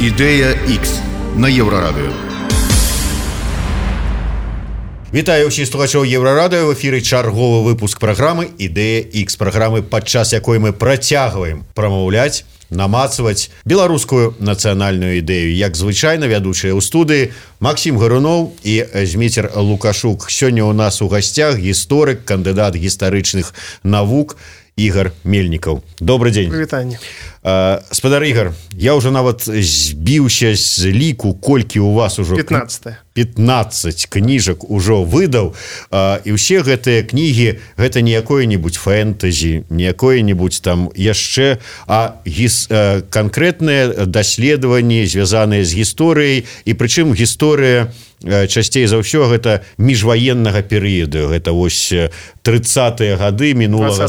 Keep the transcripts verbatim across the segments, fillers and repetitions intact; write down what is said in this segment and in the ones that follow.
Ідэя Х на Еўрарадыё. Вітаю ўсіх слухачоў Еўрарадыё. В эфіры чарговы выпуск праграмы «Ідэя Х», праграмы, падчас якой мы працягваем прамаўляць, намацваць беларускую нацыянальную ідэю. Як звычайна, вядучыя ў студыі Максім Гаруноў і Зміцер Лукашук. Сёння у нас у гасцях гісторык, кандыдат гістарычных навук Ігор Мельнікаў. Добрый дзень. Вітанне. Спадар Ігор, я ўжо нават збіўся з ліку, колькі у вас ужо пятнадцать пятнадцать кніжак ужо выдаў, і ўсе гэтыя кнігі гэта не якое-нибудь фэнтэзі, не якое-нибудь там яшчэ, а гіс, канкрэтныя даследаванні, звязаныя з гісторыяй, і прычым гісторыя часцей за ўсё гэта міжваеннага перыяду. Гэта вось трыццатыя гады мінулага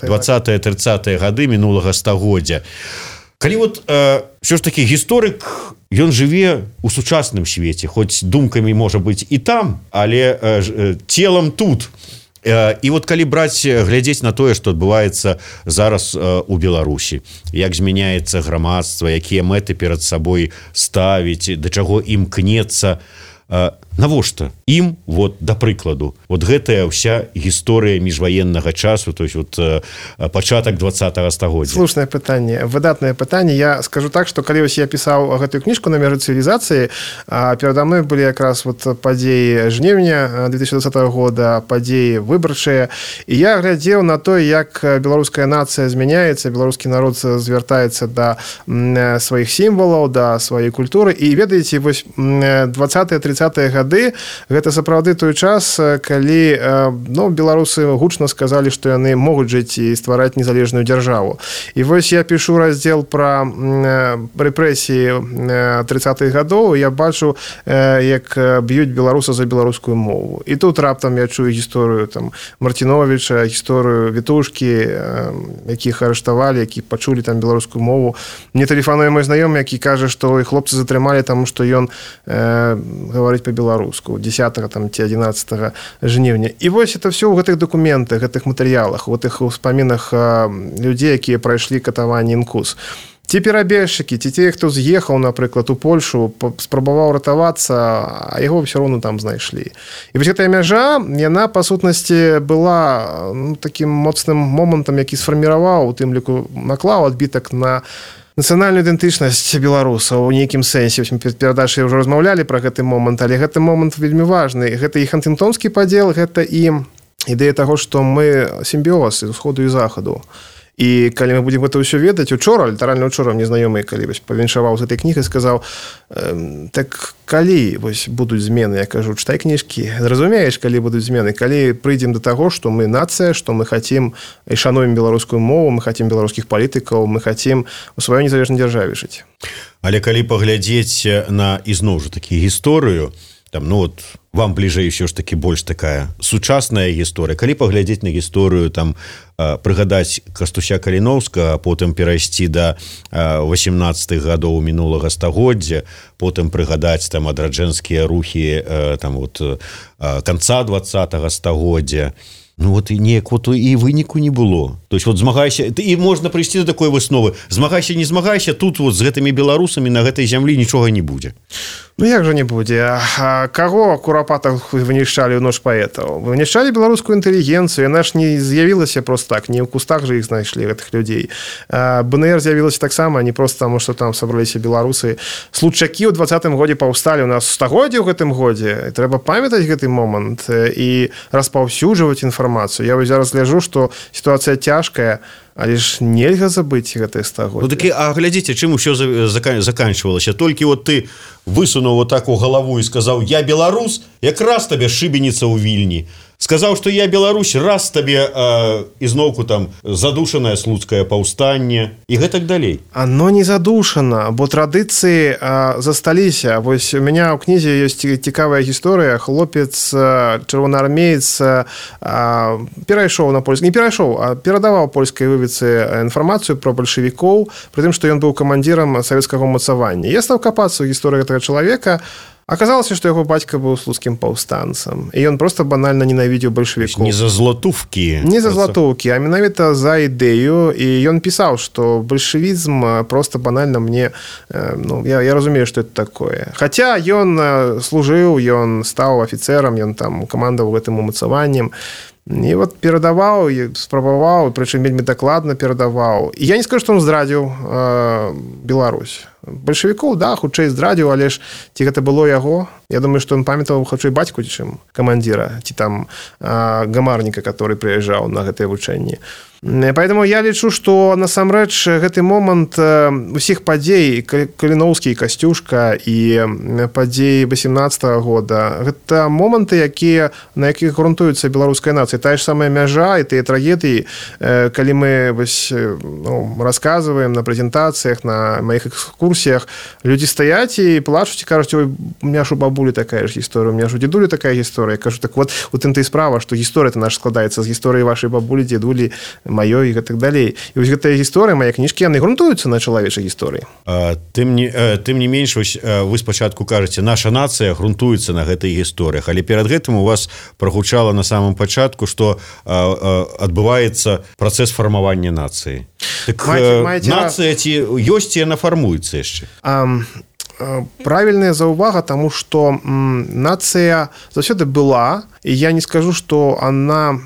двадцатыя трыццатыя гады мінулага стагоддзя. Калі вот э, ўсё ж такі гісторык, ён жыве ў сучасным свеце, хоць думкамі можа быць і там, але э, целам тут. Э, і вот калі браць, глядзець на тое, што адбываецца зараз э, у Беларусі, як змяняецца грамадства, якія мэты перад сабой ставіць, да чаго імкнецца, э, навошта ім, вот, да прыкладу, вот гэтая вся гісторыя міжваеннага часу, то есть вот пачатак двадцатага стагоддзя? Слушнае пытанне, выдатнае пытанне. Я скажу так, што калі вось я пісаў гэтую кніжку «На межы цывілізацыі», перада мной былі якраз вот падзеі жніўня две тысячи двадцатого года, падзеі выбарчыя, і я глядзеў на то, як беларуская нацыя змяняецца, беларускі народ звяртаецца да сваіх сімвалаў, да сваёй культуры. І ведаеце, вось двадцатыя трыццатыя гады гэта сапраўды той час, калі ну, беларусы гучна сказалі, што яны могуць жыць і ствараць незалежную дзяржаву. І вось я пішу раздзел пра рэпрэсіі трыццатых гадоў, я бачу, як б'юць беларуса за беларускую мову. І тут раптам я чую гісторыю там Мартиновича, гісторыю Вітушкі, якіх арыштавалі, які пачулі там беларускую мову. Мне тэлефануе мой знаёмы, які кажа, што і хлопцы затрымалі, таму што ён э, гаворыць па-беларуску десятого там, ці одиннадцатого жніўня. І вось это все ў гэтых дакументах, гэтых матэрыялах, у гэтых успамінах людзей, якія прайшлі катаванне інкус. Ці перабежчыкі, ці те, хто з'ехаў, напрыклад, у Польшу, спрабаваў ратавацца, а яго ўсё роўна там знайшлі. І вось гэтая мяжа, яна, па сутнасці, была ну, такім моцным момантам, які сфарміраваў, у тым ліку наклаў адбітак на нацыянальную ідэнтычнасць беларусаў у нейкім сэнсе. Перад перадачай ўжо размаўлялі пра гэты момант, але гэты момант вельмі важны. Гэта і хантынгтонскі падзел, гэта і ідэя таго, што мы сімбіоз з усходу і захаду. І калі мы будзем гэта ўсё ведаць, учора, літаральна учора мне знаёмы, калі вось павіншаваў з этой кнігай, сказаў, так калі вось будуць змены, я кажу, чытай кніжкі, зразумееш, калі будуць змены, калі прыйдзем да таго, што мы нацыя, што мы хацім і шануем беларускую мову, мы хацім беларускіх палітыкаў, мы хацім у сваёй незалежнай дзяржаве жыць. Але калі паглядзець на ізноў жа такі гісторыю, там, ну вот, вам бліжэй ўсё ж такі больш такая сучасная гісторыя. Калі паглядзець на гісторыю, там, прыгадаць Кастуся Каліноўскага, потым перайсці да восемнадцатых гадоў мінулага стагоддзя, потым прыгадаць там адраджэнскія рухі там, вот, канца двадцатага стагоддзя, ну вот і неяк вот і выніку не было. То есть вот змагайся, і можна прыйсці до такой высновы, змагайся, не змагайся, тут вот з гэтымі беларусамі на гэтай зямлі нічога не будзе. Ну як жа не будзе? А каго курапатах вынішчалі ў ноч паэтаў? Вынішчалі беларускую інтэлігенцыю, яна ж не з'явілася просто так, не ў кустах жа іх знайшлі, гэтых людзей. БНР з'явілася таксама, не просто таму, што там сабраліся беларусы. Случакі ў двадцатым годзе паўсталі, у нас стагоддзе ў гэтым годзе, і трэба памятаць гэты момант і распаўсюджваць інфармацыю. Я вось зараз гляджу, што сітуацыя цяжкая, але ж нельга забыць гэтае стагоддзе. Ну такі, а глядзіце, чым усё заканчвалася? Толькі вот ты высунуў вот так у галаву і сказаў, я беларус, якраз табе шыбеніца ў Вільні. Сказаў, што я Беларусь, раз табе э, ізноўку там задушанае слуцкае паўстанне і гэтак далей. Оно не задушана, бо традыцыі э, засталіся. Вось у меня ў кнізе ёсць цікавая гісторыя. Хлопец, э, чырвонаармеец э, перайшоў на польскі, не перайшоў, а перадаваў польскай выведцы інфармацыю пра бальшавікоў, пры тым, што ён быў камандзірам савецкага ўмацавання. Я стаў капацца ў гісторыі гэтага чалавека. Аказалася, што яго бацька быў слуцкім паўстанцам, і ён просто банальна ненавідзеў бальшавікоў. Не за златоўкі. Не за златоўкі, а менавіта за ідэю, і ён пісаў, што бальшавізм просто банальна мне, ну, я, я разумею, што это такое. Хаця ён служыў, ён стаў афіцэрам, ён там камандаваў гэтым умацаваннем, і вот перадаваў, спрабаваў, прычым вельмі дакладна перадаваў. І я не скажу, што он здрадзіў э, Беларусь. Бальшавікоў, да, хутчэй здрадзіў, але ж ці гэта было яго? Я думаю, што он памятаў хутчэй бацьку, чым камандзіра, ці там э, гамарніка, который прыязджаў на гэтыя вучэнні. Поэтому я лічу, што насамрэч гэты момант усіх падзей, Каліноўскі і Касцюшка і падзеі васемнаццатага года, гэта моманты, якія, на якіх грунтуецца беларуская нацыя. Тая ж самая мяжа і тыя трагедыі, калі мы вось, ну, расказваем на прэзентацыях, на маіх экскурсіях, людзі стаяць і плачуць і кажуць: ой, у меня ж у бабулі такая ж гісторыя, у меня ж у дзедулі такая гісторыя. Я кажу: так вот, у тым-то і справа, што гісторыя-то наша складаецца з гісторыі вашай бабулі, дзедулі, маёй і так далей. І вось гэтая гісторыя, мае кніжкі, яны грунтуюцца на чалавечай гісторыі. Тым не, тым не менш, вось, вы спачатку кажаце, наша нацыя грунтуецца на гэтай гісторыях, але перад гэтым у вас прагучала на самым пачатку, што адбываецца працэс фармавання нацыі. Так маеце, маеце... нацыя ці ёсць, яна фармуецца яшчэ? А... Правільная заўвага, таму што нацыя заўсёды была, і я не скажу, што она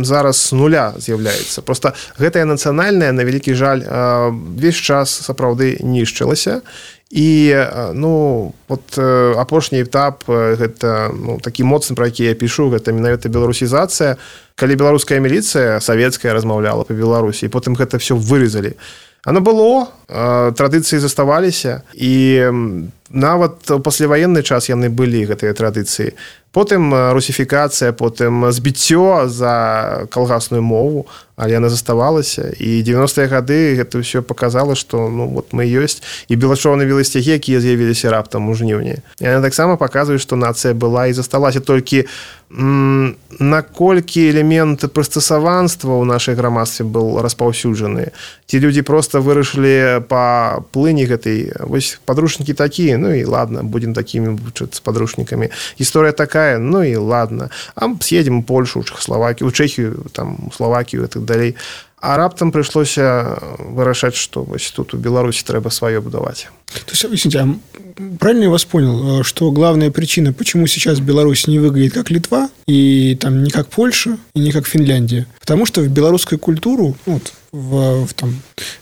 зараз з нуля з'яўляецца. Просто гэтая нацыянальная, на вялікі жаль, увесь час сапраўды нішчылася. І, ну, вот апошні этап, гэта, ну, такі моцны, пра які я пішу, гэта менавіта беларусізацыя. Калі беларуская міліцыя савецкая размаўляла па Беларусі, і потым гэта все вырезалі. Оно было, традыцыі заставаліся, і нават у пасляваенны час яны былі, гэтыя традыцыі. Потым русіфікацыя, потым збіццё за калгасную мову, але яна заставалася. І дзевяностыя гады гэта ўсё паказала, што, ну, вот мы ёсць. І белачорныя веласцягі, якія з'явіліся раптам у жніўні. Яны таксама паказваюць, што нацыя была і засталася. Толькі м- наколькі элемент прыстасаванства ў нашай грамадстве быў распаўсюджаны. Ці людзі проста вырашылі па плыні гэтай, вось падручнікі такія, ну і ладно, будем такімі вучыцца падручнікамі. Гісторыя такая, ну і ладно. А съедем у Польшу, у Чехословакію, у Чехію, там, у Словакію і так далей. А раптам прыйшлося вырашаць, што вось тут у Беларусі трэба сваё будаваць. То есть, объясните, а правильно я вас понял, что главная причина, почему сейчас Беларусь не выглядит как Литва, и там не как Польша, и не как Финляндия? Потому что в белорусскую культуру, вот, в, в, там,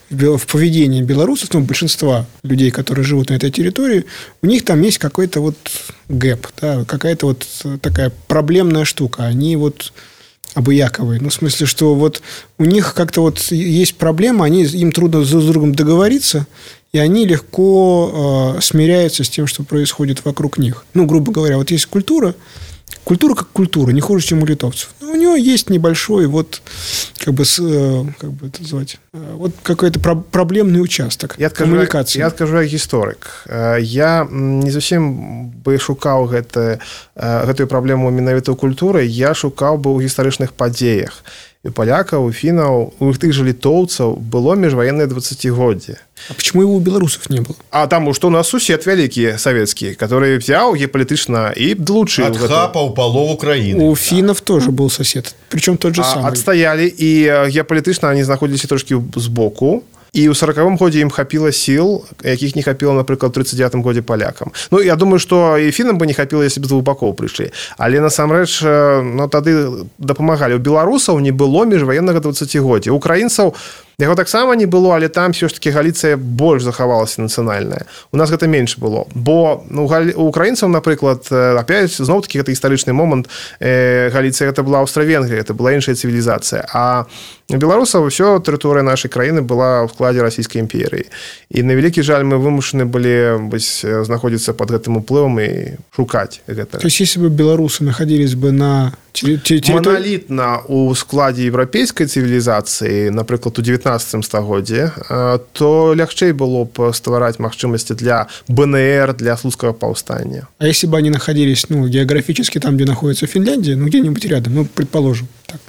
в поведении белорусов, ну, большинства людей, которые живут на этой территории, у них там есть какой-то вот гэп, да, какая-то вот такая проблемная штука. Они вот обыяковые. Ну, в смысле, что вот у них как-то вот есть проблема, они, им трудно друг с другом договориться, и они легко э, смиряются с тем, что происходит вокруг них. Ну, грубо говоря, вот есть культура, культура как культура, не хуже, чем у литовцев. Но у нее есть небольшой, вот, как бы, э, как бы это назвать, э, вот какой-то про- проблемный участок я коммуникации. Я скажу, як гісторык. Я не зусім бы шукаў гэта, гэтую праблему менавіта ў культуры, я шукаў бы ў гістарычных падзеях. У палякаў, у фінаў, у тых жа літоўцаў было міжваеннае дваццацігоддзе. А почему его у белорусов не было? А там, что у нас сусед великий советский, который взял геополитично и долучил. Отхапал полов Украины. У финнов тоже был сосед, причем тот же а, самый. Отстояли, и геополитично они находились трошки сбоку. І ў сорокавым годзе ім хапіла сіл, якіх не хапіла, напрыклад, у тридцать девятым годзе палякам. Ну, я думаю, што і фінам бы не хапіла, если б з двух бакоў прыйшлі. Але, насамрэч, ну, тады дапамагалі. У беларусаў не было міжваеннага дваццацігоддзя. У украінцаў яго таксама не было, але там все ж таки Галіцыя больш захавалася нацыянальная. У нас гэта менш было. Бо ну, у украінцаў, напрыклад, опять, зноў-таки, гэта гістарычны момант, э, Галіцыя гэта была Аўстра-Венгрыя, это была іншая цывілізацыя. А у беларусаў ўсё тэрыторыя нашай краіны была ў складзе расійскай імперыі. І на вялікі жаль мы вымушаны былі вось, знаходзіцца под гэтым уплывам і шукаць гэта. То есть, если бы белорусы находились бы на территории... Монолітна у складзе еўрапейскай цывілізацыі, напрыклад, у девятнадцатым стагоддзе, то лягчэй было б ствараць магчымасці для БНР, для слуцкага паўстання. А если бы они находились, ну, географически там, где находится Финляндия, ну, где-нибудь рядом, ну, предположим, так.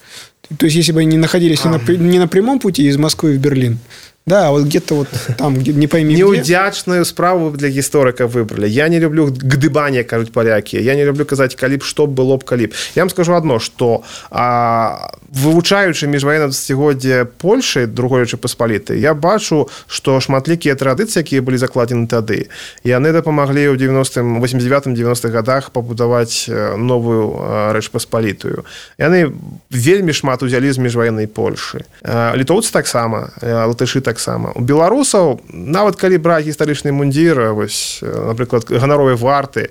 То есть, если бы они находились а. не, на, не на прямом пути из Москвы в Берлин, Да, вот где-то вот там, где, не пойми где. Неудячную справу для гісторыка выбрали. Я не люблю гдыбанне, кажуць палякі. Я не люблю казаць, калі б што было б, калі б. Я вам скажу адно, што а, вывучаючы міжваеннае дзесяцігоддзе Польшы, другой Рэчы Паспалітай, я бачу, што шматлікія традыцыі, якія былі закладзены тады, яны дапамаглі ў девяностым, восемьдесят девятым девяностых годах пабудаваць новую Рэч Паспалітую. Яны вельмі шмат узялі з міжваеннай Польшы. Літоўцы таксама, латышы таксама. У беларусаў, нават калі браць гістарычны мундзір, вось, напрыклад, ганаровай варты,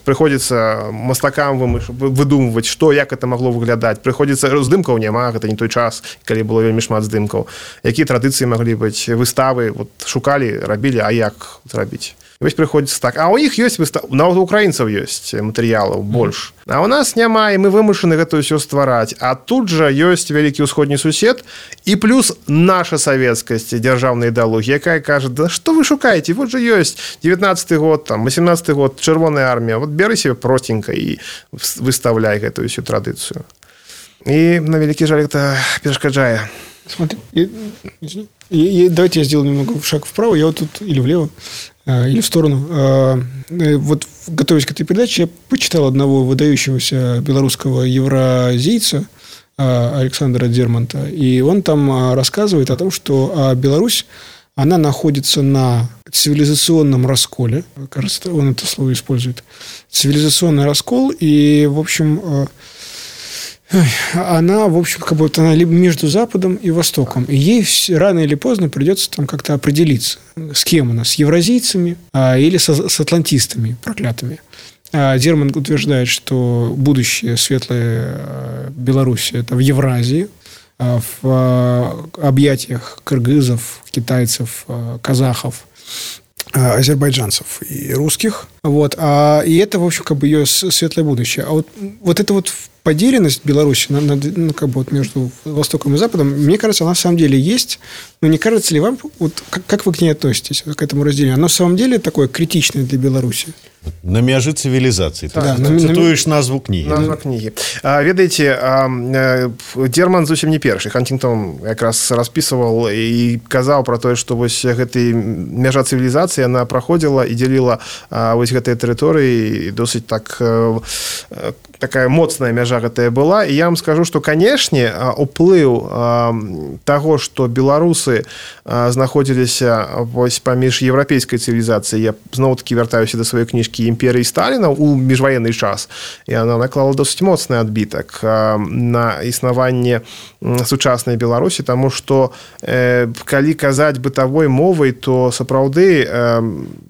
прыходзіцца мастакам выдумваць, што, як это магло выглядаць. Прыходзіцца, здымкаў няма, гэта не той час, калі было вельмі шмат здымкаў. Якія традыцыі маглі быць, выставы, вот, шукалі, рабілі, а як зрабіць? Вось прыходзіцца так. А ў іх ёсць выстав... нават у украінцаў ёсць матэрыялаў больш. А ў нас няма, і мы вымушаны гэта ўсё ствараць. А тут жа ёсць вялікі ўсходні сусед і плюс наша савецкасць, дзяржаўная ідэалогія, якая кажа, да што вы шукаеце? Вот жа ёсць девятнадцаты год, там, восемнадцаты год, чырвоная армія. Вот бяры себе простенька і выставляй гэтую ўсю традыцыю. І на вялікі жаль гэта перашкаджае. Смотри, и, и, и давайте я сделаю немного шаг вправо, я вот тут или влево, э, или в сторону. Э, э, вот, готовясь к этой передаче, я почитал одного выдающегося белорусского евразийца э, Александра Дермонта, и он там э, рассказывает о том, что э, Беларусь, она находится на цивилизационном расколе, кажется, он это слово использует, цивилизационный раскол, и, в общем... Э, она, в общем, как будто она либо между Западом и Востоком. И ей рано или поздно придется там как-то определиться, с кем она, с евразийцами а, или с, с атлантистами проклятыми. А Дермонт утверждает, что будущее светлое Беларуси – это в Евразии, в объятиях кыргызов, китайцев, казахов, азербайджанцев и русских. Вот. А, и это, в общем, как бы ее светлое будущее. А вот, вот это вот поделенность Беларуси на, на, ну, как бы вот между Востоком и Западом, мне кажется, она на самом деле есть. Но не кажется ли вам, вот, как, как вы к ней относитесь, к этому разделению? Оно на самом деле такое критичное для Беларуси? На мяжы цивілізацыі. Да, Ты на, цытуеш назву кнігі. Назва кнігі. А, ведаеце, а, Дерман зусім не першы. Хантингтон якраз распісваў і казаў пра тое, што вось гэтай мяжа цывілізацыі яна праходзіла і дзяліла а, вось гэтыя тэрыторыі досыць так а, такая моцная мяжа гэтая была. І я вам скажу, што, канешне, уплыў а, таго, што беларусы а, знаходзіліся вось паміж еўрапейскай цывілізацыяй, я зноў-такі вяртаюся да сваёй кніжкі імперыі Сталіна у міжваенны час, і яна наклала досыць моцны адбітак на існаванне сучаснай Беларусі, таму што э, калі казаць бытавой мовай, то сапраўды э,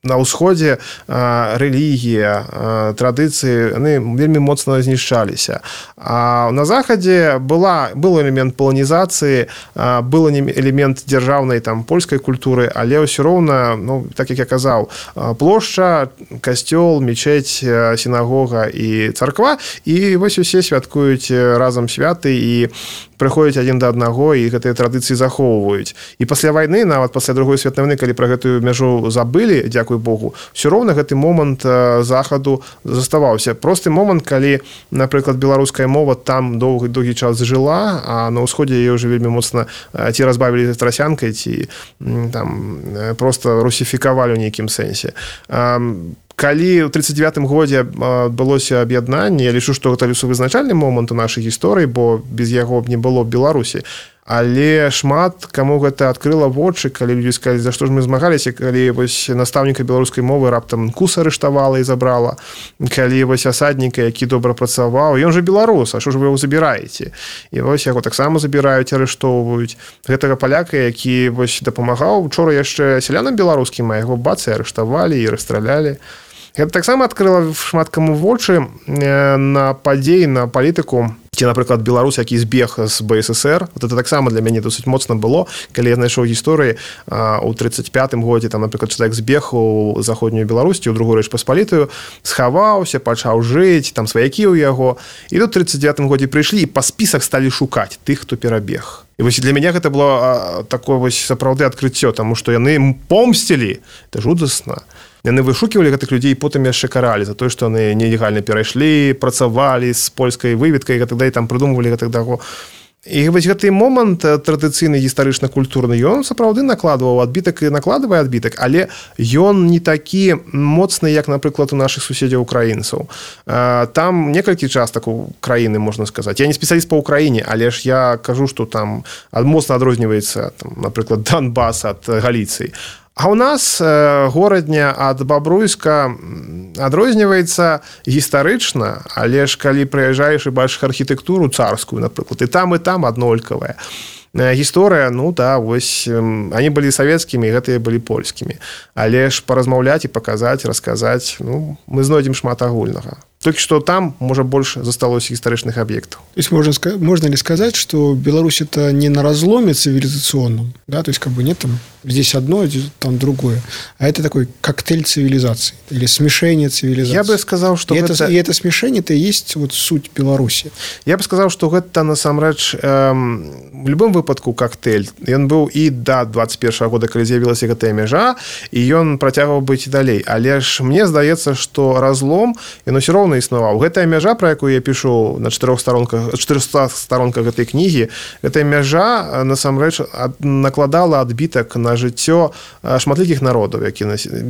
на ўсходзе э, рэлігія, э, традыцыі, яны вельмі моцна знішчаліся. А на захадзе была, был элемент паланізацыі, э, был элемент дзяржаўнай там польскай культуры, але ўсё роўна, ну, так як я казаў, плошча, касцёл, мечеть, сінагога і царква, і вось усе святкуюць разам святы і прыходзяць адзін да аднаго, і гэтыя традыцыі захоўваюць. І пасля вайны, нават пасля другой светнай вайны, калі пра гэтую мяжу забылі, дзякуй Богу, ўсё роўна гэты момант захаду заставаўся. Просты момант, калі, напрыклад, беларуская мова там доўгі доўгі час жыла, а на ўсходзе яе ўжо вельмі моцна ці разбавілі трасянкай, ці там проста русіфікавалі ў нейкім сэнсе. Калі ў тридцать девятым годзе адбылося аб'яднанне, я лічу, што гэта вызначальны момант у нашай гісторыі, бо без яго б не было Беларусі. Але шмат каму гэта адкрыла вочы, калі людзі сказалі, за што ж мы змагаліся, калі вось настаўніка беларускай мовы раптам кус арыштавала і забрала, калі вось асадніка, які добра працаваў, ён жа беларус, а што ж вы яго забіраеце? І вось яго таксама забіраюць, арыштоўваюць. Гэтага паляка, які вось дапамагаў учора яшчэ сялянам беларускім, а яго бацы арыштавалі і расстралялі. Гэта таксама адкрыла шмат каму вочы на падзеі, на палітыку. Ці, напрыклад, беларус, які збег з БССР. Вот это таксама для мяне досыць моцна было, калі я знайшоў гісторыі у тридцать пятым годзе, там, напрыклад, чалавек збег у заходнюю Беларусі, у другую Рэч Паспалітую, схаваўся, пачаў жыць, там сваякі ў яго. І тут у тридцать девятым годзе прыйшлі і па спісах сталі шукаць тых, хто перабег. І вось для мяне гэта было такое вось сапраўды адкрыццё, таму што яны помсцілі. Это жудасна. Яны вышуківалі гэтых людзей і потым яшчэ каралі за тое, што яны нелегальна перайшлі, працавалі з польскай выведкай і гэтак далей, там прыдумвалі гэтак таго. І вось гэты момант традыцыйны гістарычна-культурны ён сапраўды накладваў адбітак і накладвае адбітак, але ён не такі моцны, як, напрыклад, у нашых суседзяў украінцаў. Там некалькі частак у краіны, можна сказаць. Я не спецыяліст па ўкраіне, але ж я кажу, што там моцна адрозніваецца, там, напрыклад, Донбас ад Галіцыі. А ў нас горадня ад Бабруйска адрозніваецца гістарычна, але ж калі прыязджаеш і бачыш архітэктуру царскую, напрыклад, і там, і там аднолькавая. Гісторыя, ну да, вось, они былі савецкімі, гэтыя былі польскімі. Але ж паразмаўляць і паказаць, расказаць, ну, мы знойдзем шмат агульнага. Только что там, может, больше засталось исторических объектов. То есть можно, можно ли сказать, что Беларусь это не на разломе цивилизационном, да, то есть как бы нет там здесь одно, там другое, а это такой коктейль цивилизаций или смешение цивилизаций. Я бы сказал, что и, это... это, и это смешение это и есть вот суть Беларуси. Я бы сказал, что это насамрэч эм, в любом выпадку коктейль. Он был и до двадцать первого года, когда з'явилась гэтая мяжа, и он протягивал быть и далей. Але ж мне здаецца, что разлом, и все равно існаваў. Гэтая мяжа, про якую я пишу на чатырох сторонках, чатырохстах сторонках гэтай кнігі, гэтая мяжа насамрэч накладала адбітак на жыццё шматлікіх народаў, які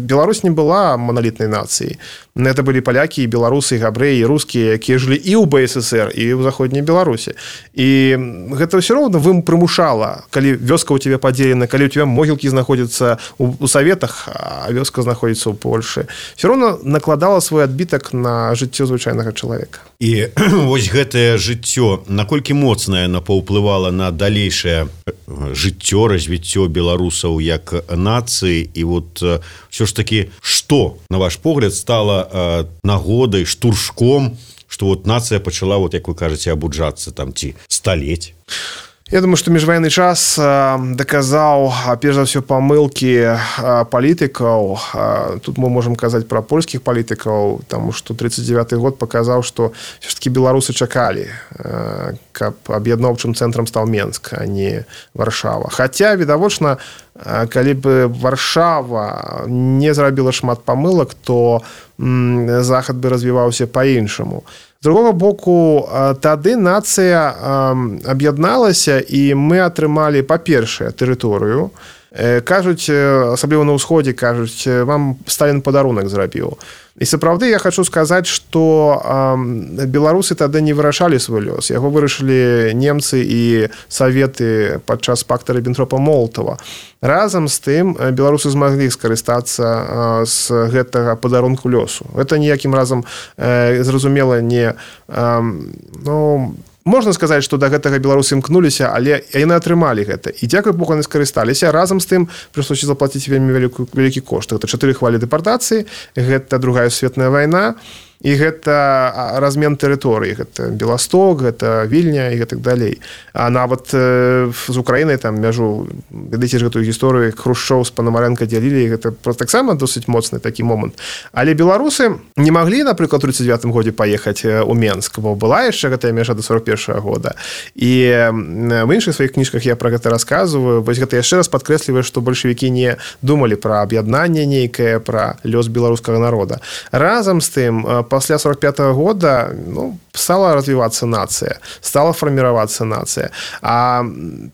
Беларусь не была монолітнай нацыяй. Это былі палякі, беларусы, габрэі, рускія, якія жылі і ў БССР, і ў заходняй Беларусі. І гэта ўсё роўна вы прымушала, калі вёска ў тебе падзелена, калі ў тебе могілкі знаходзяцца ў Саветах, а вёска знаходзіцца ў Польшы. Всё роўна накладала свой адбітак на жыццё звычайнага чалавека. І вось гэтае жыццё, наколькі моцнае яно паўплывала на далейшае жыццё, развіццё беларусаў як нацыі, і вот ўсё ж такі, што, на ваш погляд, стала э, нагодай, штуршком, што вот нацыя пачала, вот як вы кажаце, абуджацца там ці сталеть? Я думаю, что межвоенный час доказал, перш за все, помылки политиков. Тут мы можем сказать про польских политиков, потому что тридцать девятый год показал, что все-таки белорусы чакали, как объединёвчым центром стал Менск, а не Варшава. Хотя, відавочна, калі бы Варшава не зрабіла шмат помылок, то Захад бы развивался по-іншаму. З другого боку, тады нацыя аб'ядналася, і мы атрымалі, па-першае, тэрыторыю. Кажуць, асабліва на ўсходзе, кажуць, вам Сталін падарунак зрабіў. І сапраўды я хочу сказаць, што беларусы тады не вырашалі свой лёс. Яго вырашылі немцы і саветы падчас пакта Ріббентропа-Молатава. Разам з тым беларусы змаглі скарыстацца з гэтага падарунку лёсу. Гэта ніякім разам зразумела не... Ну, можна сказаць, што да гэтага беларусы імкнуліся, але яны атрымалі гэта. І дзякуй Богу, яны скарысталіся. Разам з тым прыйшлося заплаціць вельмі вялікі, вялікі кошт. Гэта чатыры хвалі дэпартацыі, гэта Другая светная вайна, і гэта размен тэрыторыі. Гэта Беласток, гэта Вільня і гэтак далей. А нават э, з Украінай там мяжу, ведаеце ж гэтую гісторыю, Хрушчоў з Панамарэнка дзялілі, гэта таксама досыць моцны такі момант. Але беларусы не маглі, напрыклад, у тридцать девятым годзе паехаць у Менск, бо была яшчэ гэтая мяжа да сорок першага года. І в іншых сваіх кніжках я пра гэта расказваю. Вось гэта яшчэ раз падкрэсліваю, што бальшавікі не думалі пра аб'яднанне нейкае, пра лёс беларускага народа. Разам з тым, пасля сорок пятого года ну, стала развиваться нация, стала формироваться нация. А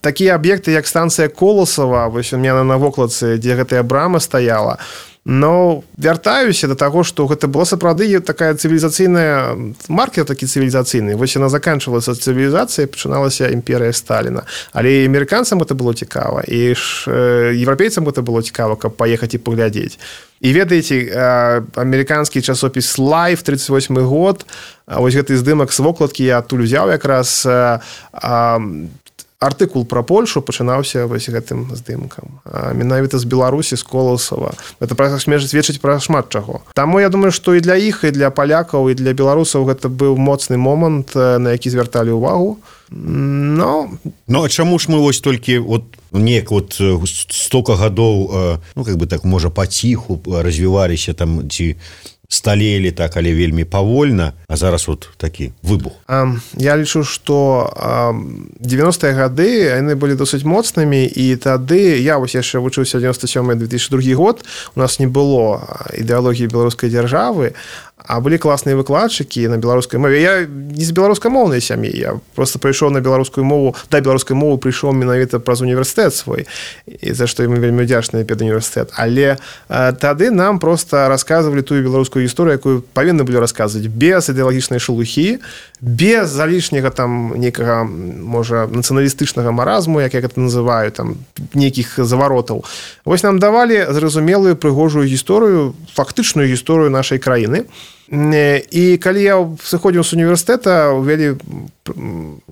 такие объекты, как станция Колосова, вось у меня на вокладцы, где гэтая брама стояла, но вяртаюся до таго, што гэта была сапраўды такая цывілізацыйная маркер такі цывілізацыйны. Вось яна заканчвалася цывілізацыя, пачыналася імперыя Сталіна. Але і амерыканцам гэта было цікава, і ж еўрапейцам гэта было цікава, каб паехаць і паглядзець. І ведаеце, амерыканскі часопіс Life, тридцать восьмы год, вось гэты здымак з вокладкі я адтуль узяў якраз артыкул пра Польшу пачынаўся вось гэтым здымкам. Менавіта з Беларусі, з Коласова. Гэта сведчыць пра шмат чаго. Таму я думаю, што і для іх, і для палякаў, і для беларусаў гэта быў моцны момант, на які звярталі ўвагу. Но... Ну, а чаму ж мы вось толькі вот неяк вот стока гадоў, ну, как бы так, можа, паціху развіваліся там, ці сталелі так, але вельмі павольна, а зараз вот такі выбух. Я лічу, што девяностыя гады яны былі досыць моцнымі, і тады я вось яшчэ вучыўся девяносто сёмы — две тысячи другі год, у нас не было ідэалогіі беларускай дзяржавы, а былі класныя выкладчыкі на беларускай мове. Я не з беларускамоўнай сям'і, я просто прыйшоў на беларускую мову, да беларускай мовы прыйшоў менавіта праз універсітэт свой, і за што мы вельмі ўдзячныя педуніверсітэт. Але э, тады нам просто расказвалі тую беларускую гісторыю, якую павінны былі расказваць без ідэалагічнай шелухі, без залішняга там некага, можа, нацыяналістычнага маразму, як я гэта называю, там нейкіх заваротаў. Вось нам давалі зразумелую прыгожую гісторыю, фактычную гісторыю нашай краіны. І калі я сыходзіў з універсітэта, увялі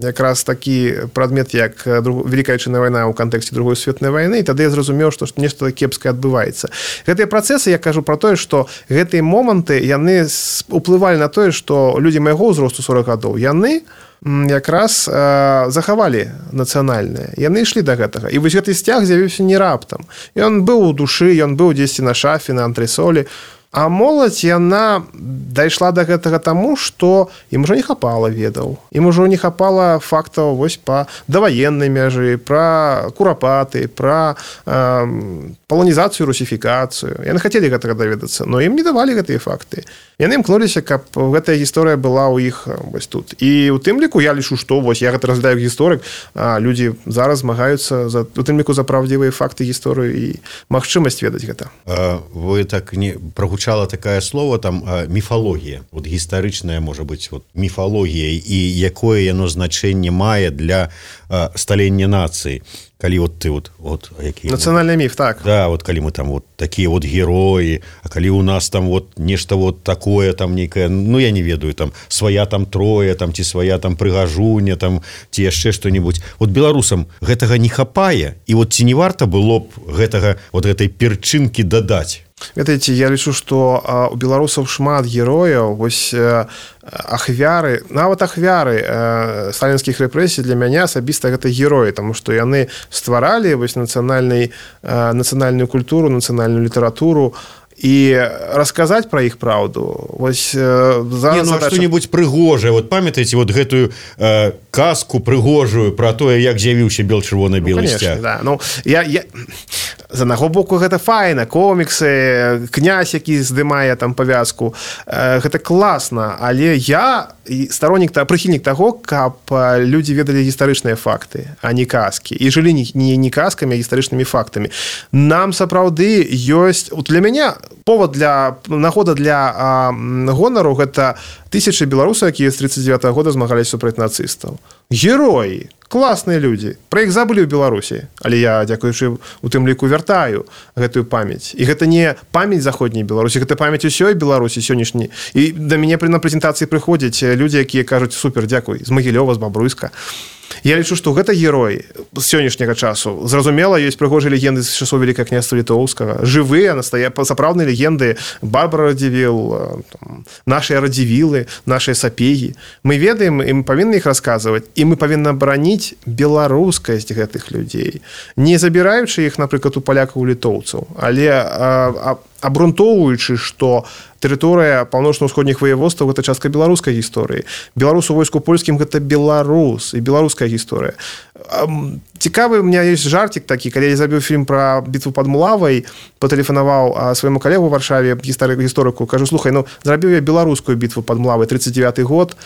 якраз такі прадмет, як Великая Отечественная вайна ў кантэксце Другой светнай вайны, і тады я зразумеў, што нешта кепскае адбываецца. Гэтыя працэсы, я кажу пра тое, што гэтыя моманты, яны уплывалі на тое, што людзі майго ўзросту сорок гадоў, яны якраз э, захавалі нацыянальнае. Яны ішлі да гэтага. І вось гэты сцяг з'явіўся не раптам. Ён быў у душы, ён быў дзесьці на шафе, на антресолі. А моладзь, яна дайшла да гэтага таму, што ім ужо не хапала ведаў. Ім ужо не хапала фактаў вось па даваеннай мяжы, пра курапаты, пра э, паланізацыю, русіфікацыю. Яны хацелі гэтага даведацца, но ім не давалі гэтыя факты. Яны імкнуліся, каб гэтая гісторыя была ў іх вось тут. І ў тым ліку я лічу, што вось я гэта разглядаю гісторык, а людзі зараз змагаюцца за, у тым ліку за правдзівыя факты гісторыю і магчымасць ведаць гэта. А, вы так не прагучала такое слово там а, міфалогія. Вот гістарычная, можа быць, вот міфалогія і якое яно значэнне мае для а, сталення нацыі. Калі вот ты вот, вот які нацыянальны міф, так. Да, вот калі мы там вот такія вот героі, а калі у нас там вот нешта вот такое там нейкае, ну я не ведаю, там свая там Троя, там ці свая там Прыгажуня, там ці яшчэ што-небудзь. Вот беларусам гэтага не хапае, і вот ці не варта было б гэтага вот гэтай перчынкі дадаць? Ведаеце, я лічу, што а, у беларусаў шмат герояў, вось а, ахвяры, нават ахвяры а, сталінскіх рэпрэсій для мяне асабіста гэта героі, таму што яны стваралі вось нацыянальную нацыянальную культуру, нацыянальную літаратуру, і расказаць пра іх праўду. Вось зараз не, ну, задача... што-небудзь прыгожае. Вот памятаеце вот гэтую э, казку прыгожую пра тое, як з'явіўся бел-чырвона-белы ну, сцяг. Да. Ну, я, я... з аднаго боку гэта файна, коміксы, князь, які здымае там павязку, э, гэта класна, але я староннік, прыхільнік таго, каб людзі ведалі гістарычныя факты, а не казкі. І жылі не, не, не казкамі, а гістарычнымі фактамі. Нам сапраўды ёсць... Для мяне повод для нагода для а, гонару гэта тысячы беларусаў, якія з тридцать девятого года змагаліся супраць нацыстаў. Героі, класныя людзі. Пра іх забылі ў Беларусі, але я, дзякуючы у тым ліку, вяртаю гэтую памяць. І гэта не памяць заходняй Беларусі, гэта памяць усёй Беларусі сённяшняй. І да мяне на прэзентацыі прыходзяць людзі, якія кажуць: супер, дзякуй, з Магілёва, з Бабруйска. Я лічу, што гэта герой з сённяшняга часу. Зразумела, ёсць прыгожыя легенды з часоў Великага княства Літоўскага. Жывыя, сапраўдныя легенды. Барбара Радзівіл, нашыя Радзівілы, нашыя сапегі. Мы ведаем, і мы павінны іх расказваць, і мы павінны абараніць беларускасць гэтых людзей. Не забіраючы іх, напрыклад, у палякаў, у літоўцаў, але а, а, абрунтоўваючы, што тэрыторыя паўночна-ўсходніх ваяводстваў — гэта частка беларускай гісторыі. Беларус у войску польскім — гэта беларус і беларуская гісторыя. Цікавы, у меня ёсць жартик такі, калі я забіў фільм пра бітву пад Мулавай, патэлефанаваў свайму калегу ў Варшаве, гісторыку, кажу: слухай, ну зрабіў я беларускую бітву пад Мулавай, тридцать девятый год,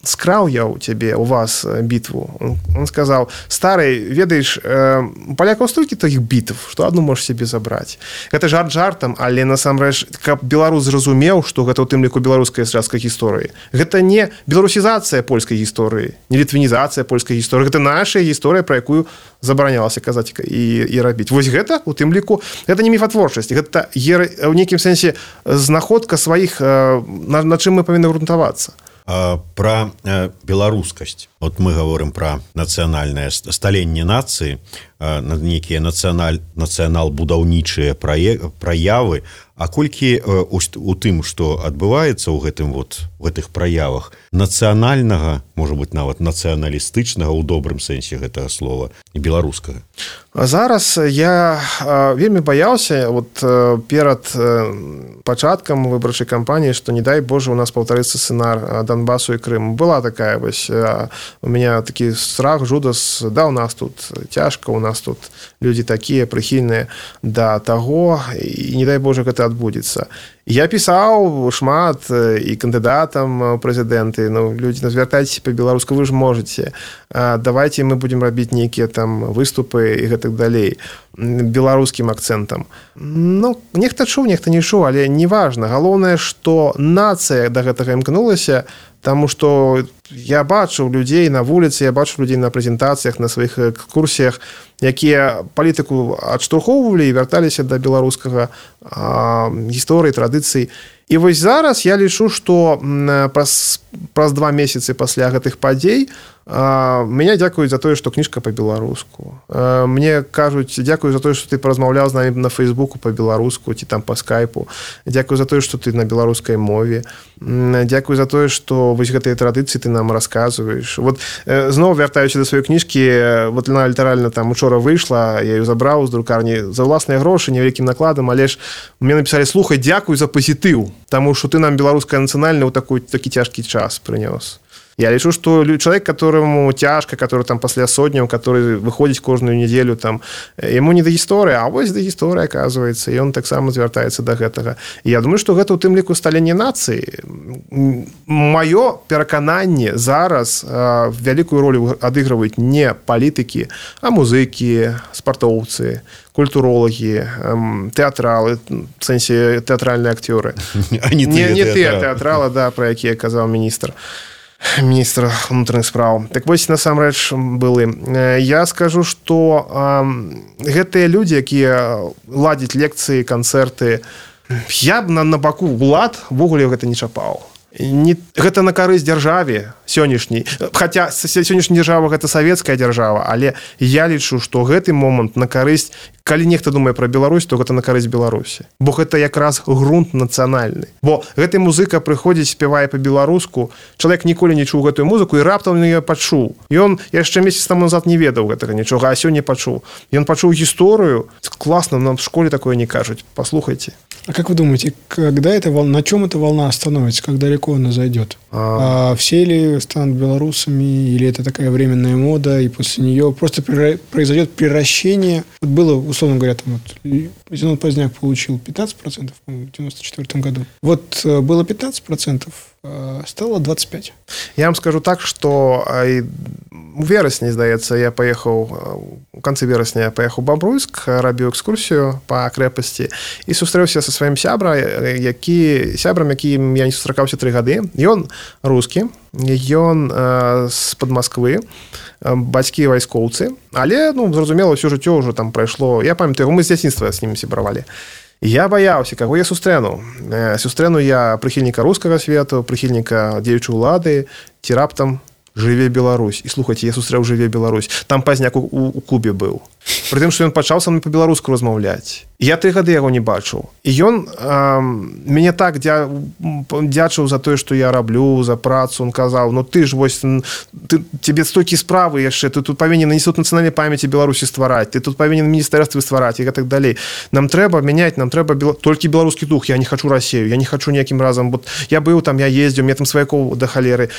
скраў я ў цябе, у вас бітву. Он сказаў: стары, ведаеш, у палякаў столькі такіх бітв, што адну можаш себе забраць. Гэта жарт жартам, але насамрэч, каб беларус зразумеў, што гэта ў тым ліку беларуская частка гісторыі. Гэта не беларусізацыя польскай гісторыі, не літвінізацыя польскай гісторыі, гэта наша гісторыя, пра якую забаранялася казаць і, і рабіць. Вось гэта, у тым ліку, гэта не міфатворчасць, гэта ў нейкім сэнсе знаходка сваіх, на, на чым мы павінны грунтавацца. Пра беларускасць. Вот мы гаворым пра нацыянальнае сталенне нацыі, нейкія нацыянал, нацыянал-будаўнічыя праявы, А колькі у, у тым, што адбываецца ў гэтым вот в гэтых праявах нацыянальнага, можа быть, нават нацыяналістычнага ў добрым сэнсе гэтага слова і беларускага? Зараз я вельмі баяўся вот перад пачаткам выбарчай кампаніі, што не дай Боже у нас паўтарыцца сцэнар Донбасу і Крыму. Была такая вось у меня такі страх, жудас, да, у нас тут цяжка, у нас тут людзі такія прыхільныя да таго, і не дай Боже гэта адбудзецца. Я пісаў шмат і кандыдатам прэзідэнты, ну, людзі, звяртайцеся па-беларуску, вы ж можаце. Давайте мы будзем рабіць нейкія там выступы і гэтак далей беларускім акцэнтам. Ну, нехта чуў, нехта не чуў, але неважна. Галоўнае, што нацыя да гэтага імкнулася, таму што я бачыў людзей на вуліцы, я бачыў людзей на прэзентацыях, на сваіх экскурсіях, якія палітыку адштурхоўвалі і вярталіся да беларускага гісторыі, традыцый. І вось зараз я лічу, што праз, праз два месяцы пасля гэтых падзей мяне дзякуюць за тое, што кніжка па-беларуску. Мне кажуць, дзякую за тое, што ты паразмаўляў з намі на Фейсбуку па-беларуску ці там па скайпу. Дзякую за тое, што ты на беларускай мове. Дзякую за тое, што вось гэтыя традыцыі ты нам расказваеш. Вот зноў вяртаючы да сваёй кніжкі, вот яна літаральна там учора выйшла, я ее забраў з друкарні за ўласныя грошы, невялікім накладам, але ж мне напісалі: слухай, дзякуй за пазітыў, таму што ты нам беларуская нацыянальная ў такой такі цяжкі час прынёс. Я лічу, што чалавек, которому цяжка, который там пасля сотняў, который выходзіць кожную нядзелю, там, яму не да гісторыі, а вось да гісторыі, аказваецца, і ён таксама звяртаецца да гэтага. І я думаю, што гэта ў тым ліку сталенне нацыі. Маё перакананне зараз а, вялікую ролю адыгрываюць не палітыкі, а музыкі, спартоўцы, культуролагі, тэатралы, в сэнсе тэатральныя акцёры. Не, не тыя тэатралы, да, пра якія казаў міністр. Міністр внутренних справ. Так вось, насамрэч, былы. Я скажу, што гэтыя людзі, якія ладзяць лекцыі, канцэрты, я б на, на баку ўлад ввогуле гэта не чапаў. Не, гэта на карысць дзяржаве сённяшняй. Хаця сённяшняя дзяржава гэта савецкая дзяржава, але я лічу, што гэты момант на карысць, калі нехта думае пра Беларусь, то гэта на карысць Беларусі. Бо гэта якраз грунт нацыянальны. Бо гэты музыка прыходзіць, спявае па-беларуску, чалавек ніколі не чуў гэтую музыку і раптам яе пачуў. Ён яшчэ месяц таму назад не ведаў гэтага нічога, а сёння пачуў. Ён пачуў гісторыю. Класна, нам в школе такое не кажуць. Послухайте. А как вы думаете, когда эта волна, на чем эта волна остановится, как далеко она зайдет? А... А все ли станут белорусами, или это такая временная мода, и после нее просто произойдет приращение? Вот было, условно говоря, там вот Зенон Поздняк получил пятнадцать процентов в девяносто четвёртом году. Вот было пятнадцать процентов, стало двадцать пять процентов. Я вам скажу так, что у верасні, здаецца, я паехаў, у канцы верасня я паехаў у Бабруйск, рабіў экскурсію па крэпасці і сустрэўся са сваім сябра, які, сябрам, якім я не сустракаўся тры гады. Ён рускі, ён э, з-пад Масквы, бацькі вайскоўцы, але, ну, зразумела, ўсё жыццё ўжо там прайшло. Я памятаю, мы з дзяцінства з ім сябравалі. Я баяўся, каго я сустрэну. Сустрэну я прыхільніка рускага свету, прыхільніка дзеючай улады, ці раптам «Жыве Беларусь». І слухайце, я сустрэў «Жыве Беларусь». Там Пазняк у, у, у клубе быў. Пры тым, што ён пачаў са мной па-беларуску размаўляць. Я тры гады яго не бачыў. І ён э, мяне так дзя... дзячыў за тое, што я раблю, за працу. Он казаў: ну ты ж вось, ты, тебе столькі справы яшчэ, ты тут павінен Інстытут нацыянальнай памяці Беларусі ствараць, ты тут павінен міністэрствы ствараць і гэтак далей. Нам трэба мяняць, нам трэба бел... толькі беларускі дух. Я не хачу Расію, я не хачу ніякім разам. Вот я быў там, я ездзіў, мне там сваякоў да халеры.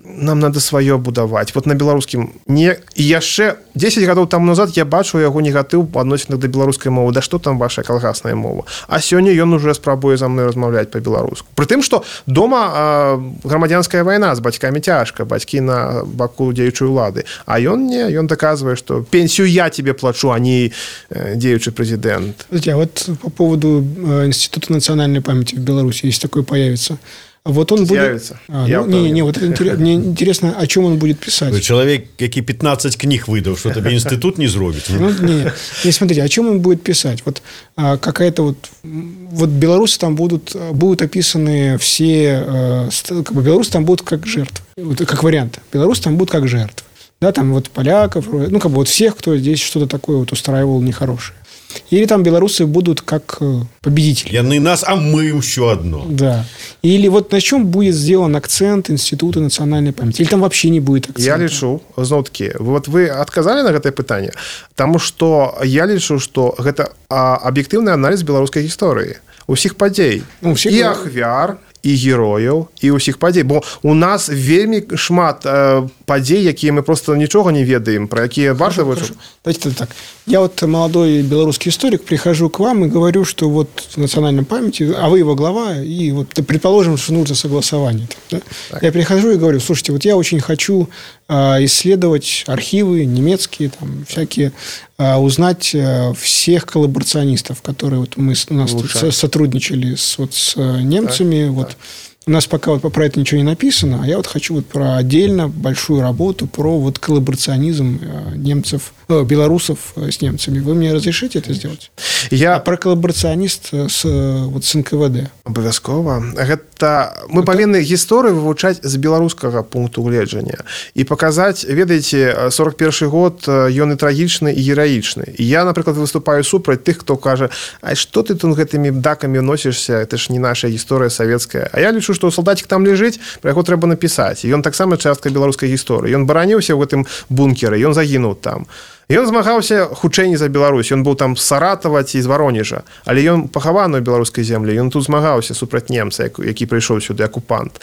Нам надо сваё будаваць. Вот на беларускім не... І яшчэ дзесяць гадоў таму назад я бачу яго негатыў па адносінах да беларускай мовы. Да што там ваша калгасная мова? А сёння ён уже спрабуе за мной размаўляць па-беларуску. Пры тым, што дома э, грамадзянская вайна, з бацькамі цяжка, бацькі на баку дзеючай улады. А ён не, ён даказвае, што пенсію я тебе плачу, а не э, дзеючы прэзідэнт. А вот по поводу э, Института национальной памяти в Беларуси, если такой появится. Вот он будет... А, ну, не, не, вот это интерес... мне интересно, о чем он будет писать. Человек, який пятнадцать книг выдал, что тебе институт не зробит. Ну, не, не, смотрите, о чем он будет писать. Вот а, какая-то вот... Вот белорусы там будут, будут описаны все... А, как бы белорусы там будут как жертвы. Вот, как вариант. Белорусы там будут как жертвы. Да, там вот поляков, ну, как бы вот всех, кто здесь что-то такое вот устраивал нехорошее. Или там белорусы будут как победители. Яны нас, а мы еще одно. Да. Или вот на чем будет сделан акцент Института национальной памяти? Или там вообще не будет акцента? Я лічу, зноў-таки, вот вы отказали на гэтае пытанне, потому что я лічу, что гэта аб'ектыўны аналіз беларускай гісторыі. Усіх падзей. Ну, всіх... І ахвяр, і герояў, і ўсіх падзей. Бо у нас вельмі шмат э, падзей, якія мы просто нічога не ведаем, про якія варта вычуць. Давайте так. Я вот молодой белорусский историк, прихожу к вам и говорю, что вот в национальной памяти, а вы его глава, и вот предположим, что нужно согласование. Да? Я прихожу и говорю, слушайте, вот я очень хочу э, исследовать архивы немецкие, там, всякие, э, узнать э, всех коллаборационистов, которые вот мы у нас тут сотрудничали с, вот, с немцами, так, вот. Так. У нас пока вот про это ничего не написано, а я вот хочу вот про отдельно большую работу про вот коллаборационизм немцев, э, белорусов с немцами. Вы мне разрешите это сделать? Я а про коллаборационист с, вот, с эн ка вэ дэ. Абавязкова. Гэта мы это... павінны гісторыю вывучаць з беларускага пункту гледжання і паказаць, ведаеце, сорок першы год ён і трагічны і гераічны. І я, напрыклад, выступаю супраць тых, хто кажа, а што ты тут гэтымі дакамі носішся, это ж не наша гісторыя савецкая. А я лічу, што салдатик там ляжыць, пра яго трэба напісаць. Ён таксама частка беларускай гісторыі. Ён бараніўся ў гэтым бункеры, ён загінуў там. Ён змагаўся хутчэй не за Беларусь. Ён быў там з Саратава ці з Варонежа, але ён пахаваны ў беларускай землі. Ён тут змагаўся супраць немца, які прыйшоў сюды акупант.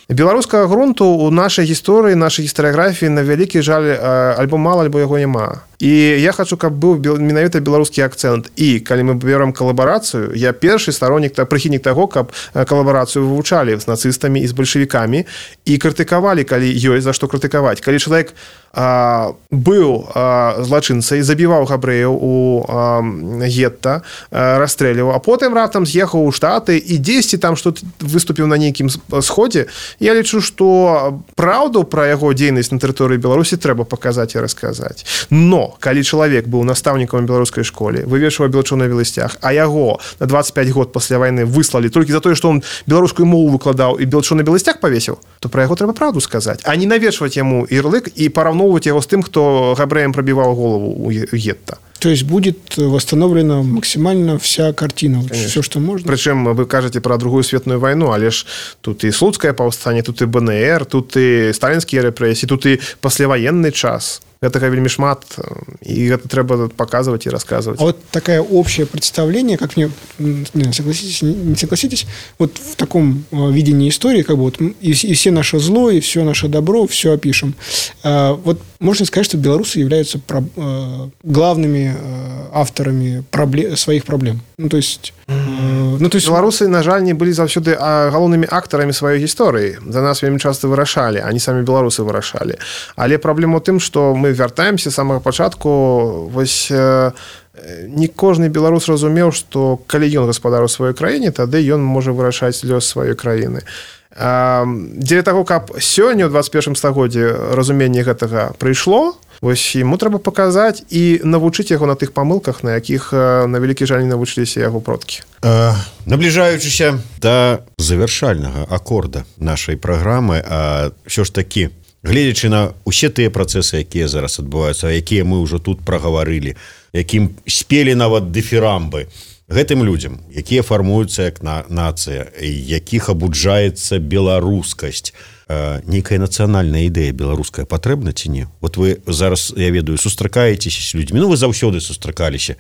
Беларускага грунту ў нашай гісторыі, нашай гістарыяграфіі, на вялікі жаль, альбо мала, альбо яго няма. І я хочу, каб быў менавіта беларускі акцэнт. І калі мы берем калабарацыю, я першы стороннік, прыхільнік таго, каб калабарацыю вывучалі з нацыстамі і з бальшавікамі і крытыкавалі, калі ёсць за што крытыкаваць. Калі чалавек а, быў а, злачынцай, забіваў габрэяў у а, гетта, а, расстрэльваў, а потым раптам з'ехаў у Штаты і дзесьці там што выступіў на нейкім сходзе, я лічу, што праўду пра яго дзейнасць на тэрыторыі Беларусі трэба паказаць і расказаць. Но калі чалавек быў настаўнікам беларускай школе, вывешваў белачо на веласцях, а яго на двадцать пять год пасля вайны выслалі толькі за тое, што он беларускую мову выкладаў і белачо на беласцях павесіў, то пра яго трэба правду сказаць, а не навешваць яму ярлык і параўноўваць яго з тым, хто габрэям прабіваў голову ў гетта. То есть будет восстановлена максимально вся картина, конечно. Все, что можно. Причем вы кажете про другую светную войну, але ж тут и Слуцкое повстание, тут и бэ эн эр, тут и сталинские репрессии, тут и послевоенный час. Гэтага вельмі шмат, і гэта трэба паказваць і расказваць. А вот такое общее представление, как мне, не, согласитесь, не согласитесь, вот в таком видении истории, как бы вот и, и все наше зло, и все наше добро, все опишем. Вот можно сказать, что белорусы являются про, главными авторами проблем, своих проблем. Ну, то есть... Ну, то есть... Беларусы, на жаль, не былі заўсёды галоўнымі актарамі сваёй гісторыі. За нас вельмі часта вырашалі, а не самі беларусы вырашалі. Але праблема ў тым, што мы вяртаемся з самага пачатку, вось не кожны беларус разумеў, што калі ён гаспадар у сваёй краіне, тады ён можа вырашаць лёс сваёй краіны. Дзеля таго, каб сёння ў двадцать першым стагоддзі разуменне гэтага прыйшло, вось яму трэба паказаць і навучыць яго на тых памылках, на якіх на вялікі жаль не навучыліся яго продкі. Э, набліжаючыся да завяршальнага акорда нашай праграмы, а ўсё ж такі, гледзячы на ўсе тыя працэсы, якія зараз адбываюцца, якія мы ўжо тут прагаварылі, якім спелі нават дыфірамбы, гэтым людзям, якія фармуюцца як на нацыя, якіх абуджаецца беларускасць, нейкая нацыянальная ідэя беларуская патрэбна ці не? Вот вы зараз, я ведаю, сустракаецеся з людзьмі, ну вы заўсёды сустракаліся,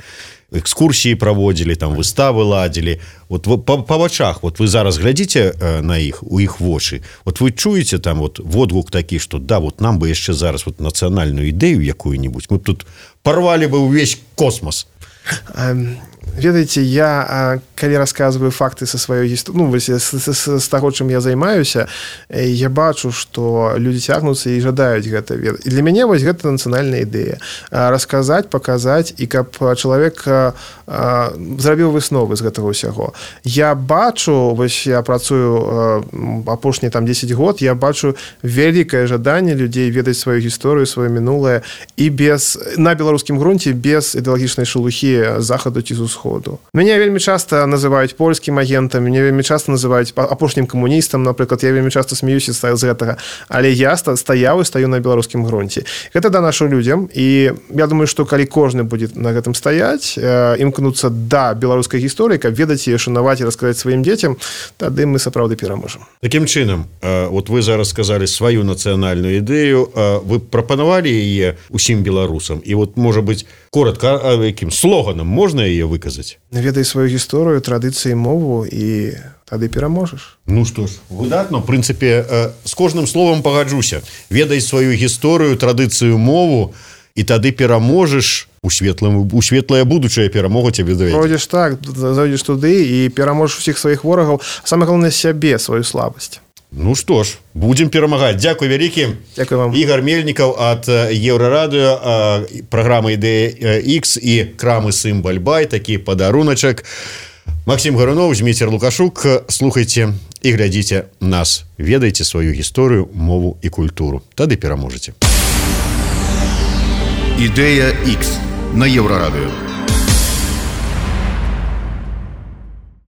экскурсіі праводзілі, там выставы ладзілі, вот па, па вачах, вот вы зараз глядзіце на іх, у іх вочы, вот вы чуеце там вот водгук такі, што да, вот нам бы яшчэ зараз вот нацыянальную ідэю якую-нибудь, мы б тут парвалі бы ўвесь космос. Ведаеце, я, калі расказваю факты са сваёй гісторыі, ну, з, з, з, з таго, чым я займаюся, я бачу, што людзі цягнуцца і жадаюць гэта ведаць. І для мяне вось гэта нацыянальная ідэя. Расказаць, паказаць, і каб чалавек зрабіў высновы з гэтага ўсяго. Я бачу, вось я працую апошнія там дзесяць год, я бачу вялікае жаданне людзей ведаць сваю гісторыю, сваё мінулае, і без, на беларускім грунце без ідэалагічнай шелухі захаду ці з усходу. ўсходу. Мяне вельмі часта называюць польскім агентам, мяне вельмі часта называюць апошнім камуністам, напрыклад, я вельмі часта смеюся з гэтага, але я стаяў і стаю на беларускім грунце. Гэта данашу людзям, і я думаю, што калі кожны будзе на гэтым стаяць, імкнуцца да беларускай гісторыі, каб ведаць і шанаваць і расказаць сваім дзецям, тады мы сапраўды пераможам. Такім чынам, вот вы зараз сказалі сваю нацыянальную ідэю, вы прапанавалі яе усім беларусам, і вот, можа быць, коротка, якім слоганам можна яе выказаць? Ведай сваю гісторыю, традыцыі, мову, і тады пераможаш. Ну што ж, выдатна. В прынцыпе, з кожным словам пагаджуся. Ведай сваю гісторыю, традыцыю, мову, і тады пераможаш, у светлым, у светлае будучае перамога цябе давядзе. Пройдзеш так, зайдзеш туды і пераможаш усіх сваіх ворагаў, самае галоўнае сябе, сваю слабасць. Ну што ж, будзем перамагаць. Дзякуй вялікі. Дзякуй вам. Ігор Мельнікаў ад Еўрарадыё, праграма Ідэя Ікс і крамы Сымбаль-Бай, такі падаруначак. Максим Гарунов, Зміцер Лукашук. Слухайце і глядзіце нас. Ведайце сваю гісторыю, мову і культуру. Тады пераможаце. Ідэя Ікс на Еўрарадыё.